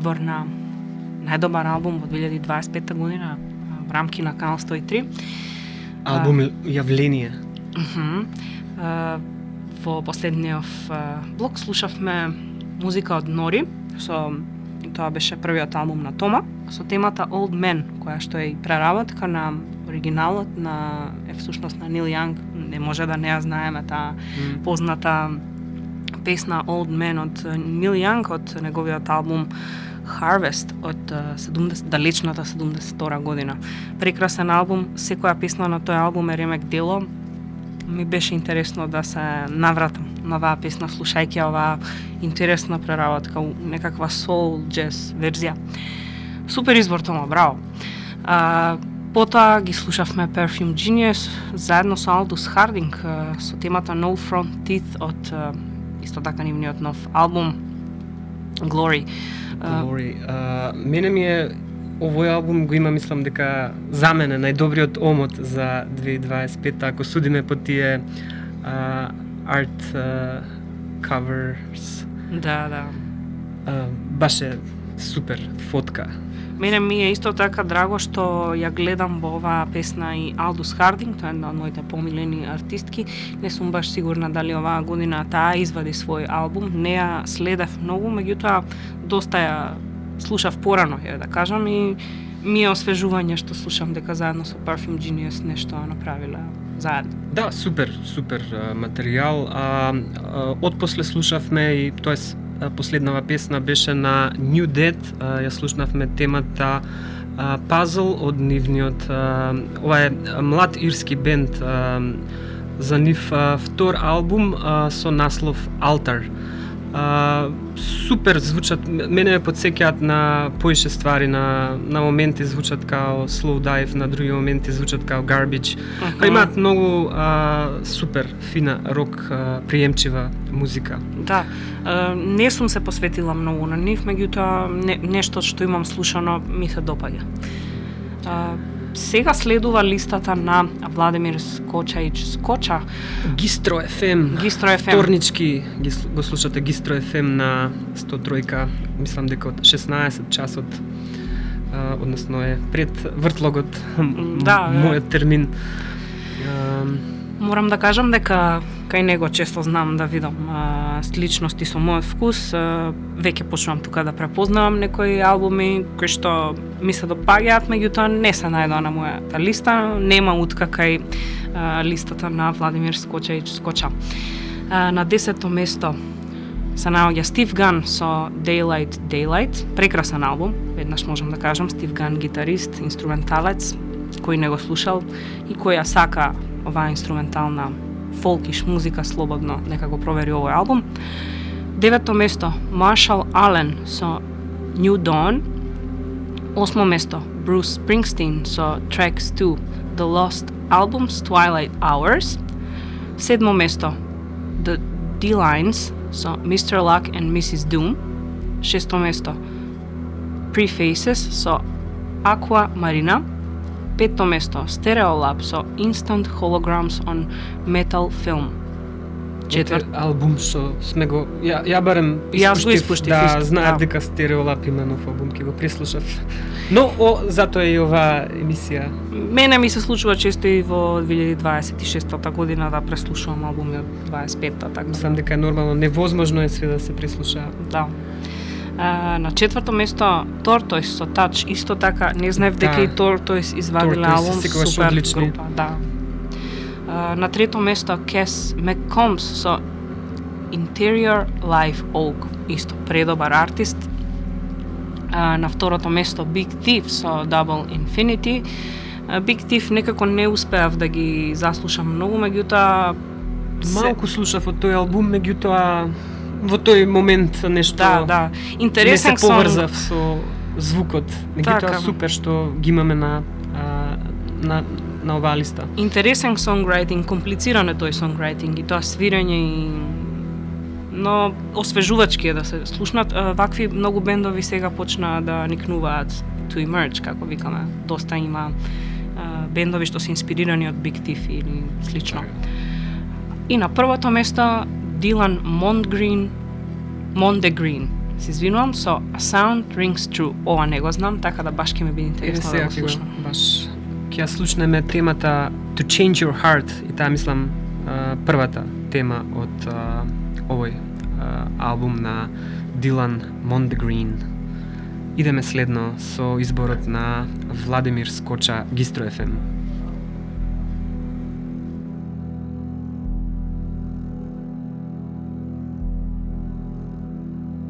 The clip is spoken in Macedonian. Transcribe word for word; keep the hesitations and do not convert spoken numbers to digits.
избор на најдобар албум во две илјади дваесет и пета година во рамки на Канал сто и три. Албум Јавление. Uh, во последниот блок слушавме музика од Нори, со тоа беше првиот албум на Тома, со темата Old Man, која што е и преработка на оригиналот на е всушност на Нил Јанг. Не може да не ја знаеме таа mm. позната песна Old Man од Нил Јанг од неговиот албум Harvest од седумдесет, далечната седумдесет и втора година. Прекрасен албум, секоја песна на тој албум е ремек дело. Ми беше интересно да се навратам на оваа песна, слушајќи оваа интересна преработка, некаква soul jazz верзија. Супер избор, Тома, браво. А, потоа ги слушавме Perfume Genius заедно со Алдус Хардинг со темата No Front Teeth од исто така нивниот нов албум Glory. Glory. Uh, мене ми е овој албум го има, мислам дека за мене најдобриот омот за две илјади дваесет и пета, ако судиме по тие uh, art uh, covers. Да, да. Uh, баш е супер фотка. Мене ми е исто така драго што ја гледам во оваа песна и Алдус Хардинг, тоа е една од моите помилени артистки. Не сум баш сигурна дали оваа година таа извади свој албум. Не ја следев многу, меѓутоа доста ја слушав порано, ја да кажам, и ми е освежување што слушам дека заедно со Perfume Genius нешто направила заедно. Да, супер, супер а, материјал. А, а, отпосле слушавме и тоест последнава песна беше на New Dead, а, ја слушнавме темата а, Puzzle од нивниот, а, ова е млад ирски бенд, а, за нив а, втор албум а, со наслов Altar. Uh, супер звучат, мене ме подсеќаат на поише ствари, на, на моменти звучат као Slow Dive, на други моменти звучат као Garbage. Uh-huh. Па имаат многу uh, супер, фина, рок, uh, приемчива музика. Да, uh, не сум се посветила многу на нив, меѓутоа не, нешто што имам слушано ми се допаѓа. Uh, Сега следува листата на Владимир Скочаич Скоча. Гистро еф ем. Гистро еф ем. Вторнички ги, го слушате Гистро еф ем на сто три, мислам дека од шеснаесет часот, а, односно е пред вртлогот, да, мојот термин. А, Морам да кажам дека кај него често знам да видам а, сличности со мојот вкус. А, веќе почнувам тука да препознавам некои албуми кои што ми се допаѓаат, меѓутоа не се најдоа на мојата листа. Нема утка кај а, листата на Владимир Скочаич Скоча. А, на десето место се наоѓа Стив Ган со Daylight Daylight. Прекрасен албум, веднаш можам да кажам. Стив Ган, гитарист, инструменталец, кој не го слушал и кој ја сака оваа инструментална фолкиш музика слободно, нека го провери овој албум. Девето место Marshall Allen со New Dawn. Осмо место Bruce Springsteen со Tracks to The Lost Albums Twilight Hours. Седмо место The D-Lines со мистер Luck and мисис Doom. Шесто место Prefaces со Aqua Marina. Петто место Stereolab со Instant Holograms on Metal Film. Четврт албум што сме го ја, ја барем Јас го испуштив, да исто, знаев да. дека Stereolab има нов албум, ќе го преслушав. Но о, затоа е и оваа емисија. Мене ми се случува често и во две илјади дваесет и шеста година да преслушувам албуми од дваесет и пета, така. Мислам дека е нормално, невозможно е све да се преслуша. Да. А, на четврто место Tortoise со Touch, исто така не знаев дека Да. и Tortoise извадиле Tortoise албум, секогаш супер одлични. група, да. А, на трето место Cass McCombs со Interior Live Oak, исто предобар артист. А, на второто место Big Thief со Double Infinity. А, Big Thief некако не успеав да ги заслушам многу, меѓутоа Малку слушав од тој албум, меѓутоа во тој момент нешто да, да. Интересен не се поврзав со звукот. Меѓутоа Така. супер што ги имаме на а, на на оваа листа. Интересен сонграйтинг, комплициран е тој сонграйтинг и тоа свирење и но освежувачки е да се слушнат. А, вакви многу бендови сега почнаа да никнуваат to emerge, како викаме. Доста има а, бендови што се инспирирани од Big Thief или слично. И на првото место Дилан Мондгрин, Мондегрин се извинувам, со A Sound Rings True. Ова не го знам, така да баш ќе ми биде интересно да го слушам. Баш ќе ја слушнеме темата To Change Your Heart, и таа мислам првата тема од а, овој а, албум на Дилан Мондегрин. Идеме следно со изборот на Владимир Скоча, Гистро еф ем.